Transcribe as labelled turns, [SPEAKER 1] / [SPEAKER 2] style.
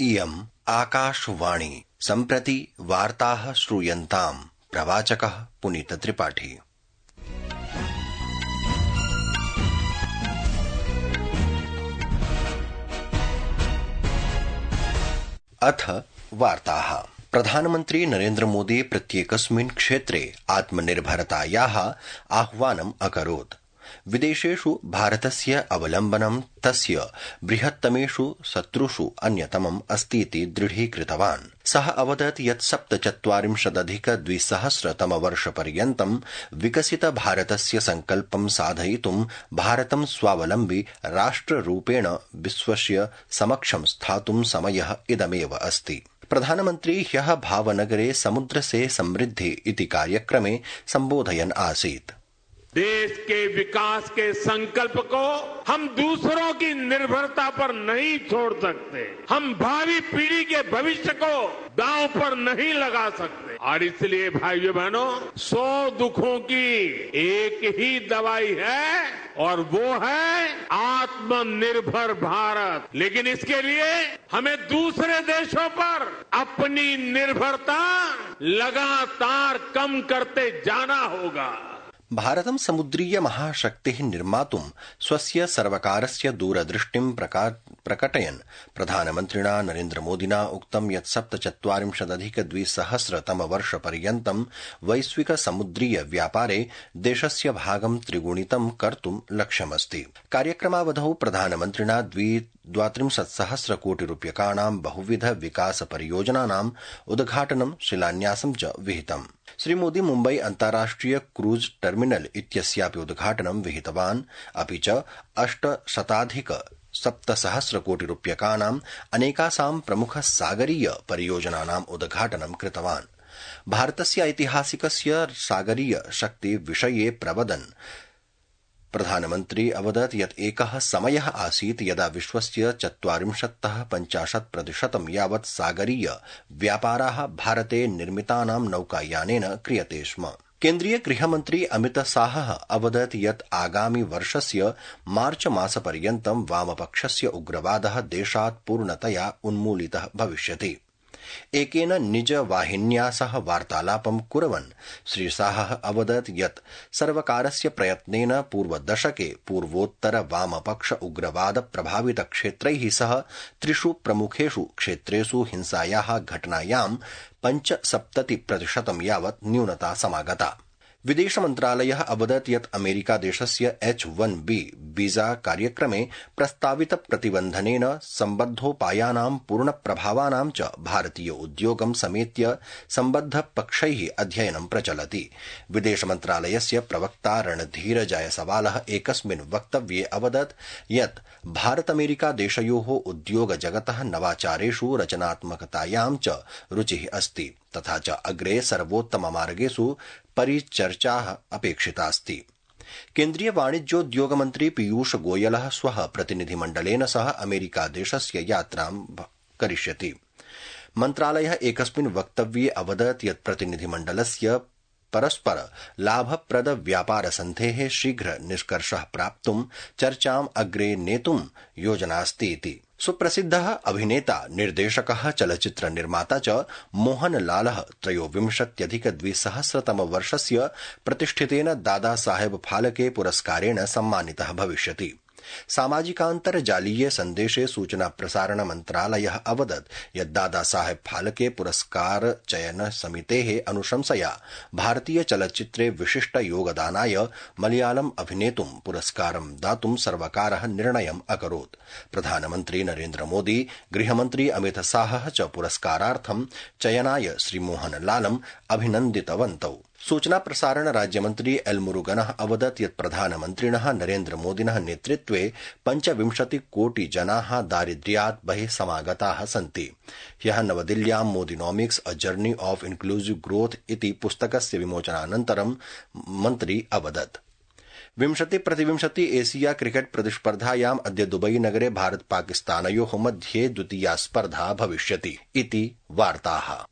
[SPEAKER 1] इयम् आकाशवाणी सम्प्रति वार्ताः श्रूयन्ताम् प्रवाचकः पुनीत त्रिपाठी। अथ वार्ताः। प्रधानमन्त्री नरेन्द्र मोदी प्रत्येकस्मिन् क्षेत्रे आत्मनिर्भरतायाः आह्वानम् अकरोत्। विदेशेषु भारतस्य अवलम्बनं तस्य बृहत्तमेषु शत्रुषु अन्यतमम् अस्तीति दृढीकृतवान्। सः अवदत् यत् 47,200 विकसित भारतस्य संकल्पं साधयितुं भारतं स्वावलम्बी राष्ट्ररूपेण विश्वस्य समक्षं स्थातुं समयः इदमेव अस्ति। प्रधानमन्त्री ह्यः भावनगरे समुद्र से समृद्धि इति कार्यक्रमे सम्बोधयन् आसीत्।
[SPEAKER 2] देश के विकास के संकल्प को हम दूसरों की निर्भरता पर नहीं छोड़ सकते। हम भावी पीढ़ी के भविष्य को दांव पर नहीं लगा सकते। और इसलिए भाइयों बहनों, 100 दुखों की एक ही दवाई है और वो है आत्मनिर्भर भारत। लेकिन इसके लिए हमें दूसरे देशों पर अपनी निर्भरता लगातार कम करते जाना होगा।
[SPEAKER 1] भारतं समुद्रीय महाशक्तिः निर्मातुं स्वस्य सर्वकारस्य दूरदृष्टिं प्रकटयन् प्रधानमन्त्रिणा नरेन्द्र मोदिना उक्तं यत् 47,200 वैश्विक समुद्रीय व्यापारे देशस्य भागं त्रिगुणितं कर्तुं लक्ष्यमस्ति। कार्यक्रमावधौ प्रधानमन्त्रिणा 32,000 कोटि रूप्यकाणां बहुविध विकास परियोजनानां उद्घाटनं शिलान्यासं च विहितम्। श्रीमोदी मुम्बई अन्ताराष्ट्रिय क्रूज टर्मिनल इत्यस्यापि उद्घाटनं विहितवान्। अपि च 800,700 कोटि रूप्यकाणां अनेकासां प्रमुख सागरीय परियोजनानां उद्घाटनं कृतवान्। भारतस्य ऐतिहासिकस्य सागरीय शक्ति विषये प्रवदन् प्रधानमन्त्री अवदत् यत् एकः समयः आसीत् यदा विश्वस्य 40-50% यावत् सागरीय व्यापाराः भारते निर्मितानां नौकायानेन क्रियते स्म। केन्द्रीय गृहमन्त्री अमित शाहः अवदत् यत् आगामि वर्षस्य मार्च मासपर्यन्तं वामपक्षस्य उग्रवादः देशात् पूर्णतया उन्मूलितः भविष्यति। एकेन निज वाहिन्या सह वार्तालापं कुर्वन् श्री शाहः अवदत् यत् सर्वकारस्य प्रयत्नेन पूर्वदशके पूर्वोत्तर वामपक्ष उग्रवाद प्रभावित क्षेत्रैः सह 3 प्रमुखेषु क्षेत्रेषु हिंसायाः घटनायां 75% यावत् न्यूनता समागता। विदेश मन्त्रालयः अवदत् यत् अमेरिका देशस्य H-1B वीजा कार्यक्रमे प्रस्तावित प्रतिबन्धनेन सम्बद्धोपायानां पूर्णप्रभावानां च भारतीय उद्योगं समेत्य सम्बद्ध पक्षैः अध्ययनं प्रचलति। विदेश मन्त्रालयस्य प्रवक्ता रणधीर जायसवालः एकस्मिन् वक्तव्ये अवदत् यत् भारत अमेरिका देशयोः उद्योग जगतः नवाचारेषु रचनात्मकतायां च रुचिः अस्ति तथा च अग्रे सर्वोत्तममार्गेषु परिचर्चाः अपेक्षितास्ति। केन्द्रीय वाणिज्योद्योग मन्त्री पीयूष गोयलः श्वः प्रतिनिधिमण्डलेन सह अमेरिका देशस्य यात्रां करिष्यति। मन्त्रालयः एकस्मिन् वक्तव्ये अवदत् यत् प्रतिनिधिमण्डलस्य परस्पर लाभप्रद व्यापार सन्धेः शीघ्र निष्कर्षः प्राप्तुं चर्चाम् अग्रे नेतुं योजनास्ति इति। सुप्रसिद्धः अभिनेता निर्देशकः चलच्चित्र निर्माता च मोहनलालः 23,200 वर्षस्य प्रतिष्ठितेन दादा साहेब फाल्के पुरस्कारेण सम्मानितः भविष्यति। सामाजिकान्तर्जालीय सन्देशे सूचना प्रसारण मन्त्रालयः अवदत् यत् दादा साहेब फाल्के पुरस्कार चयन समितेः अनुशंसया भारतीय चलच्चित्रे विशिष्ट योगदानाय मलयालम अभिनेतुं पुरस्कारं दातुं सर्वकारः निर्णयम् अकरोत्। प्रधानमन्त्री नरेन्द्र मोदी, गृहमन्त्री अमित शाहः च पुरस्कारार्थं चयनाय श्रीमोहनलालम् अभिनन्दितवन्तौ। सूचना प्रसारण राज्यमन्त्री एल मुरुगनः अवदत् यत् प्रधानमन्त्रिणः नरेन्द्र मोदिनः नेतृत्वे 25 कोटि जनाः दारिद्र्यात् बहिः समागताः सन्ति। ह्यः नवदिल्ल्यां Modinomics a journey of inclusive growth इति पुस्तकस्य विमोचनानन्तरं मन्त्री अवदत्। 20-20 एशिया क्रिकेट प्रतिस्पर्धायाम् अद्य दुबई नगरे भारत पाकिस्तानयोः मध्ये द्वितीया स्पर्धा भविष्यति इति वार्ताः।